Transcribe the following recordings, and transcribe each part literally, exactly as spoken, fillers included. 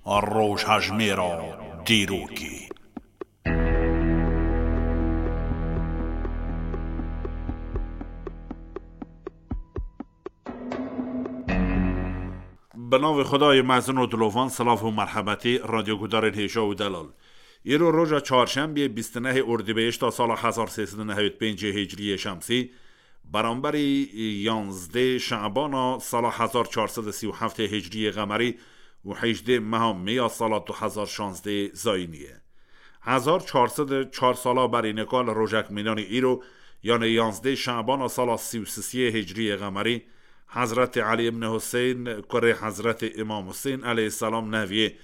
Rojhejmêra dîrokê. Bi navê Xwedayê mezin û dilovan, silav û merhebetê, radyogudarên hêja û delal. Îro roja çarşembiyê, bîst û nehê Ordîbehişta sala hezar sê sed û nehewî û pêncê Hicriyê Şemsî, beramberî yanzdê Şebana sala hezar çar sed û sî û heftê Hicriyê Qemerî û hejdê meha Mê ya sala du hezar şazdê Zayînî ye. Hezar çar sed û çar sala berî nika li rojek mînanî îro, yanê yanzdê Şebana sala sî û sisiyê Hicriyê Qemerî, Hezretê Elî ibn Huseyn, kurê Hezretê Îmam Huseyn aleyhisselam, neviyê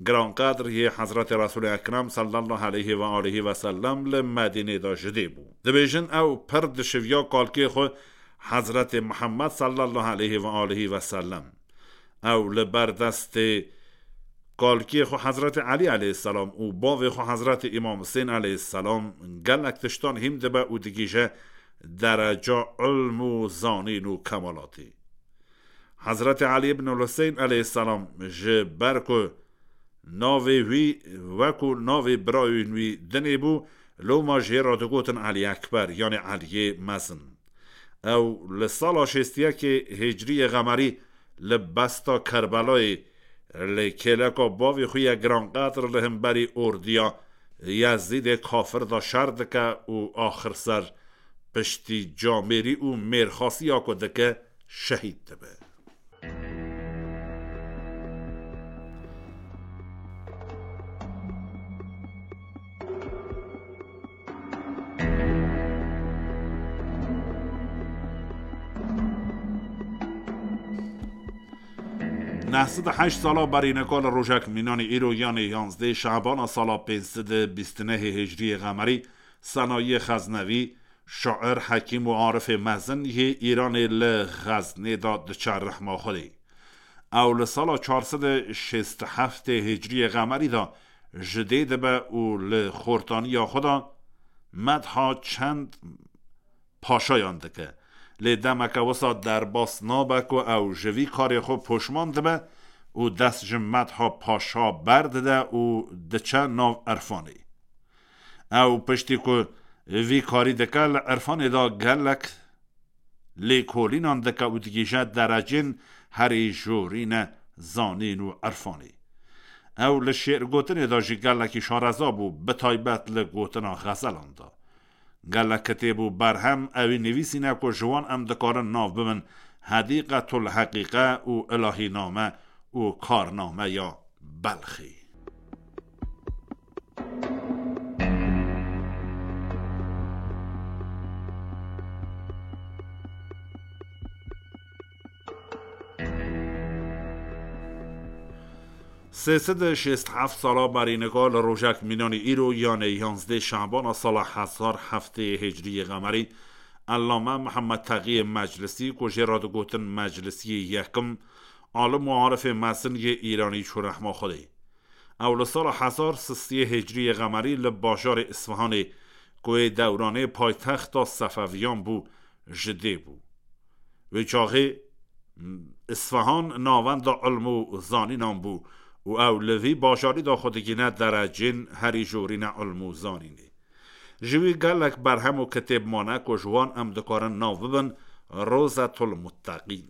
giranqedr yê Hezretê Resûlê Ekrem sallallahu aleyhi ve aleyhi ve sellem li Medînê de ji dê bû. Dibêjin ew pir dişiviya kalkê xwe Hezretê Mihemed sallallahu aleyhi ve aleyhi ve sellem. Ew li ber destê kalkê xwe Hezretê Elî aleyhisselam û bavê xwe Hezretê Îmam Husên aleyhisselam gelek tiştan hîm dibe û digihîje dereca ilm û zanîn û kemalatê. Hezretê Elî ibn Huseyn aleyhisselam, ji ber ku navê wî wekû navê birayên wî dinê bû, loma jê re digotin Elî Ekber, yanê Eliyê Mezin. Ew li sala şêst û yekê Hicriyê Qemerî li besta Kerbelayê li kêleka bavê xwe yê giranqedr li hemberî ordiya Yezîdê kafir de şer dike û axir ser piştî camêrî û mêrxasiya ku dike, şehîd dibe. Neh sed û heşt sala berî nika li rojek mînanî îro, yanê yanzdê Şebana sala pênc sed û bîst û nehê Hicriyê Qemerî, Senayiyê Xeznevî, şair, hekîm û arifê mezin yê Îranê, li Xeznê de diçe rehma Xwedê. Ew li sala çar sed û şêst û heftê Hicriyê Qemerî de ji dê dibe û li xortaniya xwe de medha çend paşayan dike. Lê demeke wisa derbas nabe ku ew ji vî karê xwe poşman dibe û dest ji medha paşa berdide û diçe nav irfanê. Ew piştî ku vî karî dike, li irfanê de gelek lêkolînan dike û digihîje derecên herî jorîne zanîn û irfanê. Ew li şêrgotinê de jî gelekî şareza bû, bi taybet li gotina xezelan de. Gelek kitêb û berhem ewî nivîsîne ku ji wan em dikarin nav bibin Hedîqetul Heqîqe û Ilahîname û Karnameya Belxê. Sê sed û şêst û heft sala berî nika li rojek mînanî îro, yanê yanzdê Şebana sala hezar heftê Hicriyê Qemerî, Ellame Mihemed Teqiyê Meclisî, ku jê re digotin Meclisiyê Yekim, alim û arifê mezin yê Îranî, çû rehma Xwedê. Ew li sala hezar sisiyê Hicriyê Qemerî li bajarê Isfihanê, ku yê dewranê paytexta Sefeviyan bû, ji dê bû. Wê çaxê Isfihan navenda ilm û zanînan bû û ew li vî bajarî de xwe digihîne derecên herî jorîne ilm û zanînê. Ji wî gelek berhem û kitêb mane ku ji wan em dikarin nav bibin Rozetul Mutteqîn.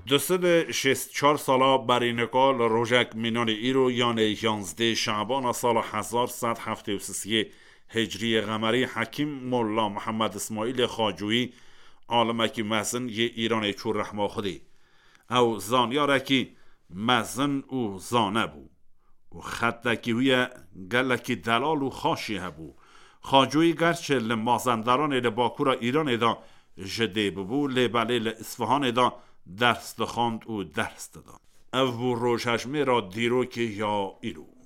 Du sed û şêst çar sala berî nika li rojek mînanê îro, yanê yanzdê Şebana sala hezar sed heftê û sisiyê Hicriyê Qemerî, Hekîm Molla Mihemed Îsmaîlê Xacoyî, alimekî mezin yê Îranê, çû rehma Xwedê. Ew zanyarekî mezin û zane bû û xetekî wî ye gelekî delal û xaşî hebû. Xacoyî gerçi li Mazenderanê li bakûra Îranê de ji dê bibû, lê belê li Îsfihanê de ders dixwand û ders dida. Ev bû rojhejmêra dîrokê ya îro.